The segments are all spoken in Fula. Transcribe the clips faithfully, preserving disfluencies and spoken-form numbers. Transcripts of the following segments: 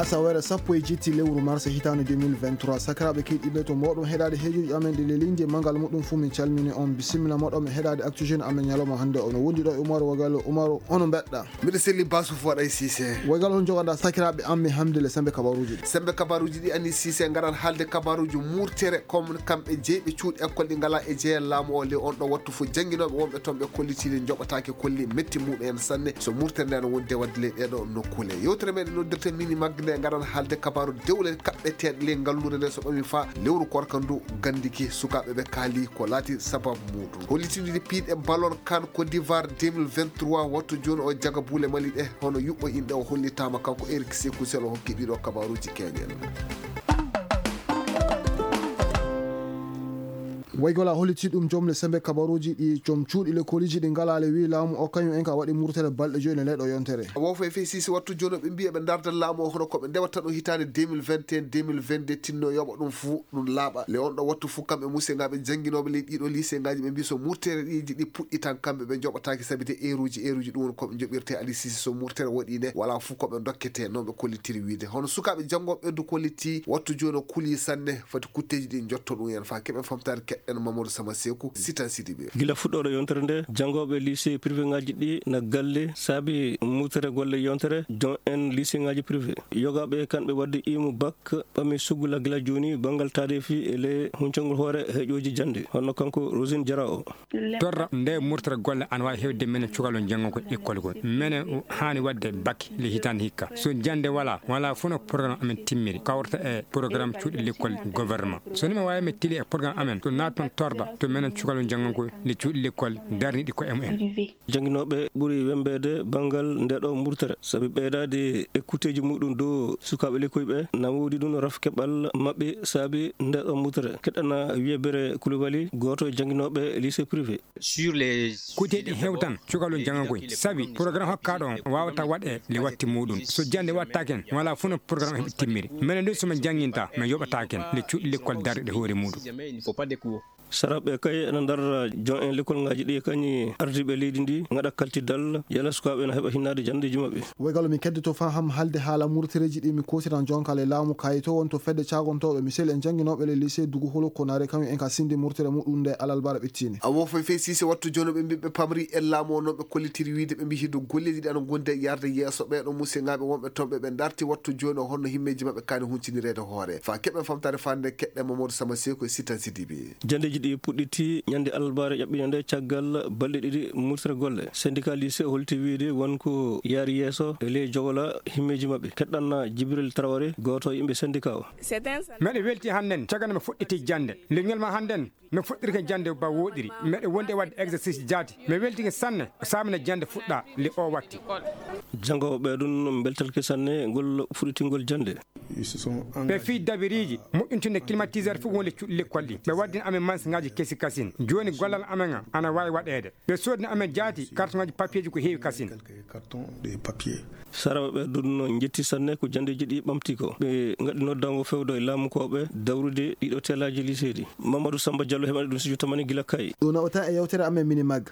Asaweere sappo e jeeɗiɗi lewru mars hitaande deux mille vingt-trois, sakiraaɓe keɗiiɓe, to mboɗon heɗaade heejoji amen ɗi lelindi e manngal muɗum fuu, min calmini on, bisimilla moɗon e heɗaade Actu Jeune amen ñalawma hannde o. No wondi ɗo e Umaru Wagalo. Umaru, ono mbeɗɗa? Miɗo selli Basu Foɗay Sise. Wagalo, on jogaɗa sakiraaɓe am mi hamde le sembe kabaruuji ɗi? Sembe kabaruuji ɗi, Ani Sise, ngaran haalde kabaruuji murtere, comme kamɓe jeyɓe cuuɗi école ɗi ngala e jeyal laamu o, le on ɗo wattu fo jannginooɓe wonɓe toon ɓe kollitiiɗe njoɓataake kolli metti muɗum en sanne. So murtere nde no wondi e waɗde ley ɗeɗo nokkuule. Yewtere meɗen noddirte mini magde nde ngaran haalde kabaru dewle kaɓɓeteeɗe ley ngalluure nde so ɓami faa lewru korka ndu gandiki sukaaɓe ɓe kaali ko laati sababu muɗum. Hollitinde piiɗe ballon kan Côte d'Ivoire deux mille vingt-trois, wattu jooni o jaga buule Mali ɗe hono yuɓɓo inɗe o hollitaama kanko Eric Sekou Sel o hokki ɗiɗo kabaruuji keñen. Waygola holliti ɗum joom le sembe kabaruuji ɗi joom cuuɗi lekkoliji ɗi ngalaale wi laamu o kañum en ka waɗi murtere balɗe joyi ne leyɗo yontere. Wo fo e fey sisi wattu jooni ɓe mbiya ɓe ndardan laamu o hono ko ɓe ndewata ɗum hitaande deux mille vingt et un, deux mille vingt-deux tinno yoɓa ɗum fuu ɗum laaɓa. Le on ɗo wattu fuu kamɓe musengaɓe jannginooɓe ley ɗiɗo lycée ngaji ɓe mbi so murtere ɗiji ɗi puɗɗitan kamɓe ɓe joɓataake sabi te eeruji eeruji ɗum woni ko ɓe joɓirte Ali Sisi so murtere waɗi nde wala fuu ko ɓe dokkete no ɓe kollitiri wiide. Hono sukaaɓe janngooɓe ɓeddu kolliti wattu jooni o kuli sanne. Foti kutteeji ɗi njotto ɗum en faa keɓen famtaare keɗɗen Mamadou Sama Seeku, Sitan Sidibe. Gila fuɗɗoore yontere nde, janngooɓe lycée privé ngaji ɗi na galle saabi murtere golle yontere jon en lycée ngaji privé. Yogaaɓe kanɓe waɗde imu bak ɓami sugula gila jooni banngal taarifi e le huncangol hoore heƴooji jannde, hono kanko Rosine Jara o. Torra nde murtere golle ana waawi hewde menen cukalon janngo ko école kon. Menen o haani waɗde bak le hitaande hikka. So jannde wala, wala fof no programme amen timmiri. Kawrata e programme cuuɗi l'école gouvernement. So ni mi waawi mi tili e programme amen, to naat toon torda, to menen cukalon janngo ko le cuuɗi l'école darniɗi ko M N. Jannginooɓe ɓuri wembeede banngal nde ɗo murtere, sabi ɓeydaade ekkuteeji muɗum dow sukaaɓe lekkoy ɓe, na woodi ɗum raf keɓal maɓɓe saabi nde ɗo murtere. Keɗɗana wiyebere Koulibaly, gooto e jannginooɓe lycée privé. Kuteeɗi hewtan cukalon janngokoy, sabi programme hokkaaɗo on waawata waɗe le watti muɗum. So jannde wattaken, wala fof no programme heɓi timmiri. Menen ɗum so min jannginta, min yoɓataken le cuuɗi l'école darɗe hoore muɗum. Saraɓe kay ena ndarra jon en lekkolngaaji ɗi kañi ardiiɓe leydi ndi ngaɗa kaltidal yala sukaaɓe ena heɓa hinnaade janndeeji maɓɓe. Woygal min keddoto faa ham haalde haala murtereeji ɗi mi koosiran jonka le laamu kayi to won to fedde caagontooɓe misel en jannginooɓe le lycée Dugu Holo Konare kañum en ka sinde murtere muɗum nde alalbara ɓittini. Awo foy fey sise wattu jono ɓe mbiɓɓe pamri e laamu o noon ɓe kollitiri wiide ɓe mbi hiddo golleeji ɗi ana gondi e yarde yeeso ɓeeɗo musengaɓe wonɓe toon ɓe ɓe darti wattu jooni o honno himmeeji maɓɓe kaani huncinireede hoore. Faa keɓen famtaare fande keɗɗe Mamadou Sama Seeku e Sitan Sidibi. Janndeeji ɗi puɗɗiti ñande alarbaare ƴaɓɓiinde nde caggal balɗe ɗiɗi murtere golle. Syndicat lycée holti wiide won ko yaari yeeso e ley jogola himmeeji maɓɓe. Keɗɗanna Jibril Traoré, gooto e yimɓe syndicat o. Meɗe welti hannden, caggal nde mi fuɗɗiti jannde. Leñol ma hannden, no fuɗɗirke jannde ba wooɗiri. Meɗe wondi e waɗde exercice jaati. Mi weltike sanne, o saamina jannde fuɗɗa, le o watti. Janngooɓe ɓe ɗum mbeltalke sanne ngol fuɗɗitingol jannde. Ɓe fii dabiriiji moƴƴintunde climatiseur fof wonde cuuɗi lekkol ɗi. Ɓe waddin amen mansiŋaaji kesi kasin. Jooni gollal amen an ana waawi waɗeede. Ɓe soodni amen jaati kartoŋaaji papiyeeji ko heewi kasin. Saraɓe ɓe ɗum no njetti sanne ko janndeeji ɗi ɓamti ko. Ɓe ngaɗi noddango fewdo e laamukooɓe dawrude ɗiɗo teelaaji liseeɗi. Mamadou Samba Diallo heɓani ɗum studio tamani gila kayi. Ɗum nawata e yewtere amen mini mag.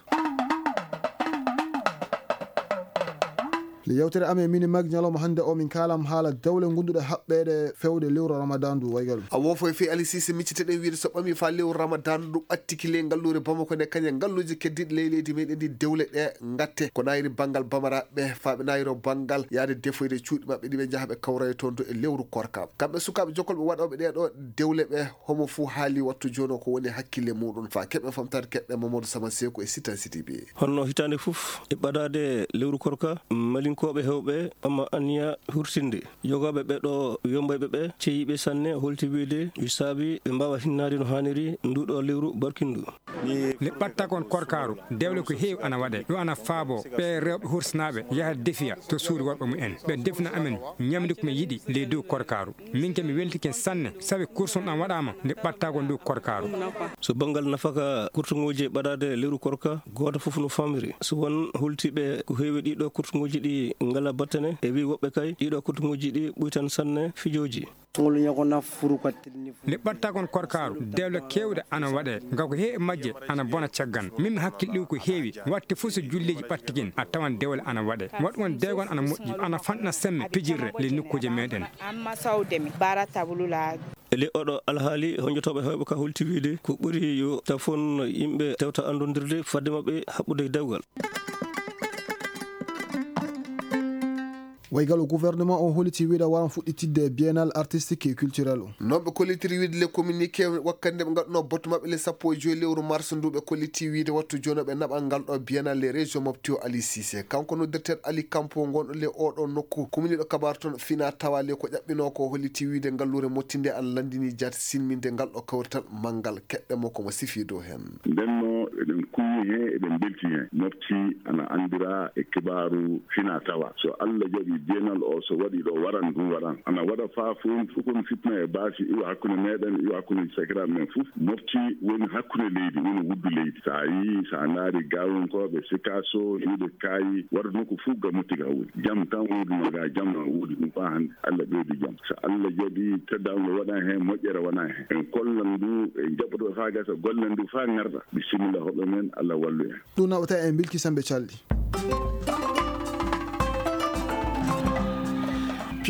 Nde yewtere amen mini mag ñalawma hannde o min kaalam haala dawle gonduɗe haɓɓeede fewde lewru Ramadan ndu waygal. A wofo e fii Ali Sise micciteɗen wiide so ɓami faa lewru Ramadan ndu ɓattiki ley ngalluure Bamako nde kañe ngalluuje keddiiɗe ley leydi meɗen ndi dewle ɗe ngatte. Ko nayri banngal Bamaraɓe faa ɓe nayro banngal yaade defoyde cuuɗi maɓɓe ɗi ɓe njaha ɓe kawra e toon to e lewru korka. Kamɓe sukaaɓe jokkolɓe waɗooɓe ɗee ɗoo dewle ɓe homo fuu haali wattu jooni o ko woni hakkille muɗum. Faa keɓe famtaade keɓɓe Mamadou Sama Seeku e Sitan Sidibe. Honno hitaande fof e ɓadaade lewru korka, malinkooɓe heewɓe ɓama anniya hurtinde. Yogaaɓe ɓe ɗo wembayɓe ɓe ceyiiɓe sanne holti wiide wi saabi ɓe mbaawa hinnaade no haaniri ndu ɗo lewru barkindu. Nde ɓatta kon korkaaru, dewle ko heewi ana waɗe. Ɗum ana faabo ɓe rewɓe hursinaaɓe yaha defiya to suudu worɓe mumen. Ɓe defna amen ñamdu ko mi yiɗi ley dow korkaaru. Min ke mi weltike sanne, sabi kursun ɗan waɗaama nde ɓatta kon dow korkaaru. So banngal nafaka kurtuŋooji e ɓadaade lewru korka, gooto fof no famiri. So won hultiiɓe ko heewi ɗiɗo kurtuŋooji ɗi ngala battane, e wi woɓɓe kay, ɗiɗo kotuŋuuji ɗi ɓuytan sanne fijooji. Ngol ñago na furu ka tilni fu. Le ɓattagon korkaaru, dewle keewɗe ana waɗe, nga ko heewi majje ana bona caggan. Min mi hakkilɗiw ko heewi, watte fof so julleeji ɓattigen, a tawan dewle ana waɗe. Waɗugon deegon ana moƴƴi, ana fanɗina semme pijirre le nokkuuje meɗen. Amma sawde mi, bara tabulu la. E ley oɗo alhaali, honjotooɓe heewɓe ka holti wiide ko ɓuri yo tafon yimɓe tewta anndondirde fadde maɓɓe haɓɓude e dewgal. Waygal o gouvernement o holiti wiide waran fuɗɗitidde biennale artistique et culturel o. Non ɓe kollitiri wiide le communiqué wakkande ɓe ngaɗuno batu maɓɓe le sappo e joyi lewru mars ndu ɓe kolliti wiide wattu jono ɓe naɓa ngal ɗo biennale le région mofti o Ali Cissé. Kanko noddirteeɗo Ali Kampo ngonɗo le oɗo nokku kumniɗo kabaru toon fina tawa le ko ƴaɓɓino ko holliti wiide ngalluure mottinde an landini jaati silminde ngal ɗo kawrital manngal keɗɗe mo komo sifi dow heen. Ndenno eɗen kuwi heen, eɗen mbelti heen. Mofti ana anndira e kibaaru fina tawa. So Allah jaɓi biennale o so waɗi ɗo waran ɗum waran. Ana waɗa faa fof fof kono fitna e baasi iwa hakkunde meɗen, iwa hakkunde sakiraaɓe men fof. Mofti woni hakkunde leydi, woni wuddu leydi. So a yii, so a ndaari gaawonkooɓe, sikaaso, hiiɓe kaayi, waɗa nokku fof ga motti ga woni. Jam tan wonduno ga, jam na woodi ɗum faa hannde. Allah ɓeydu jam. So Allah jaɓi teddaango waɗan heen, moƴƴere wona heen. En kollan ndu, en jaɓɓoto faa gasa, gollen ndu faa ngarda. Bisimilla hoɓɓe men, Allah wallu en. Ɗum naɓata en bilki sambe calɗi.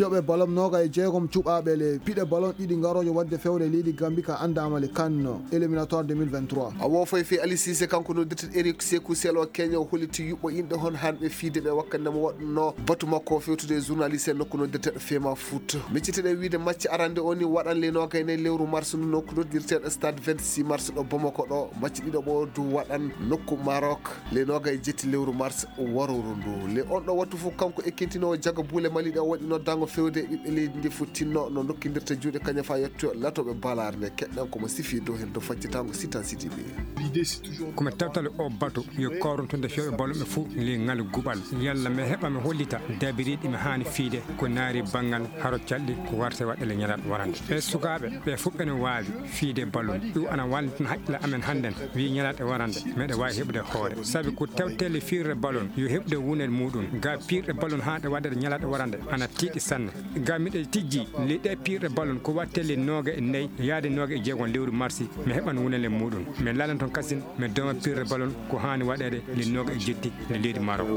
Piyoɓe ballon noga e jeegom cuɓaaɓe le piɗe ballon ɗiɗi ngaroojo waɗde fewre leydi Gambie ka anndaama le CAN éliminatoire deux mille vingt-trois. A wo foy fe Ali Cissé kanko noddirteɗo Eric Sekou Selo Kenya o holliti yuɓɓo inɗe hon hanɓe fiide ɓe wakkande mo waɗno batu makko o fewtude e journaliste en nokku noddirteɗo Fema Foot. Micciteɗen wiide macce arande o ni waɗan le noga e nayi lewru mars ndu nokku noddirteɗo stade vingt-six mars ɗo Bamako ɗo. Macce ɗiɗo ɓo du waɗan nokku Maroc le noga e jetti lewru mars waruru ndu. Le on ɗo wattu fof kanko ekkintinowo jaga buule Mali ɗe o waɗi noddango fewde e ɓiɓɓe leydi ndi fof tinno no dokkindirta juuɗe kañum fa yetto latoɓe balaare nde keɗɗen komo sifi dow hen to faccitango sitan sidi ɓe. Komi tawtale o batu yo kawruntude fewɓe balluɓe fof le ngal guɓal. Yalla mi heɓa mi hollita dabiriɗi mi haani fiide ko naari banngal haro calɗi ko warte waɗɗele ñalaat warande. E sukaaɓe ɓe fof ɓene waawi fiide ballon. Ɗum ana wallitna haqqille amen hannden. Wi ñalaat e warande meɗe waawi heɓude hoore. Sabi ko tawtele fiirre ballon yo heɓude wunel muɗum. Ga piirɗe ballon haa ɗe waɗɗere ñalaat e warande ana tiiɗi sanne. Ga miɗe tijji le ɗe piirɗe ballon ko wattele nooga e nayi yaade nooga e jeegon lewru marsi. Mi heɓan wunele muɗum. Mi lalan toon kasin mi dooma piirre ballon ko haani waɗeede le nooga e jetti le leydi Maroc.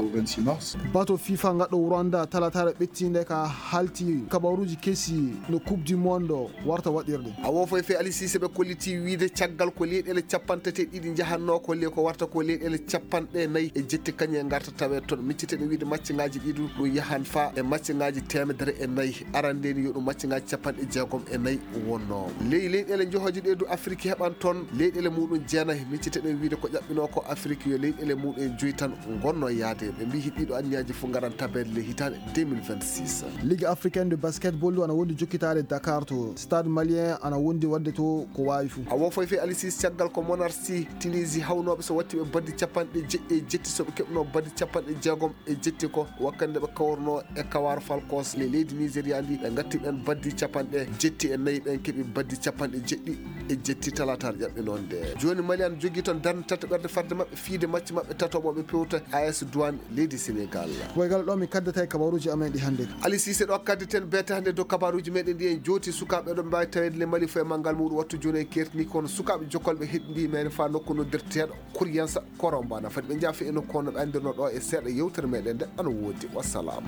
Bato fifa ngaɗɗo Rwanda talataare ɓettinde ka halti kabaruuji kesi no Coupe du Monde warta waɗirde. A wo foy fe Ali Cissé ɓe kolliti wiide caggal ko leyɗeele capanɗe tati e ɗiɗi njahanno ko le ko warta ko leyɗeele capanɗe nayi e jetti kañum e ngarta tawe toon. Micciteɗen wiide macciŋaaji ɗiɗi ɗum yahan fa e macciŋaaji teemedere e nayi. Arande ni yo ɗum macciŋaaji capanɗe jeegom e nayi wonno. Ley leyɗeele njohoje ɗe du Afrique heɓan toon leyɗeele muɗum jeenayi. Micciteɗen wiide ko ƴaɓɓino ko Afrique yo leyɗeele muɗum joyi tan ngonno yaade. Ɓe mbi hiɗɗiɗo anniyaji fof ngaran tabeede le hitaande deux mille vingt-six. Ligue africaine de basketball du ana wondi jokkitaade Dakar to stade malien ana wondi waɗde to ko waawi fof. A wo foy fe Ali Cissé caggal ko Monarchie Tunisie hawnooɓe so watti ɓe baddi capanɗe jeɗɗi e jetti so ɓe keɓno baddi capanɗe jeegom e jetti ko wakkande ɓe kawrno e Kawar Falcons le leydi Nigeria ndi ɓe ngatti ɓen baddi capanɗe jetti e nayi ɓen keɓi baddi capanɗe jeɗɗi e jetti talatar ƴaɓɓe noon nde. Jooni Mali ana jogii toon darnde tataɓerde farde maɓɓe fiide macce maɓɓe tatoɓo ɓe pewta A S Douane leydi Sénégal. Waygal ɗo mi kaddata e kabaruuji amen ɗi hannde. Ali Cissé ɗo kaddeten beete hannde dow kabaruuji meɗen ɗi en jooti sukaaɓe ɗo mbaawi taweede le Mali fof e manngal muɗum wattu jooni en kertini kono sukaaɓe jokkolɓe heɗndi men fa nokku noddirteeɗo Kuryansa Korombana fadi ɓe njaafi e nokku kono ɓe anndirno ɗo e seeɗa yewtere meɗen nde ana woodi. Wassalam.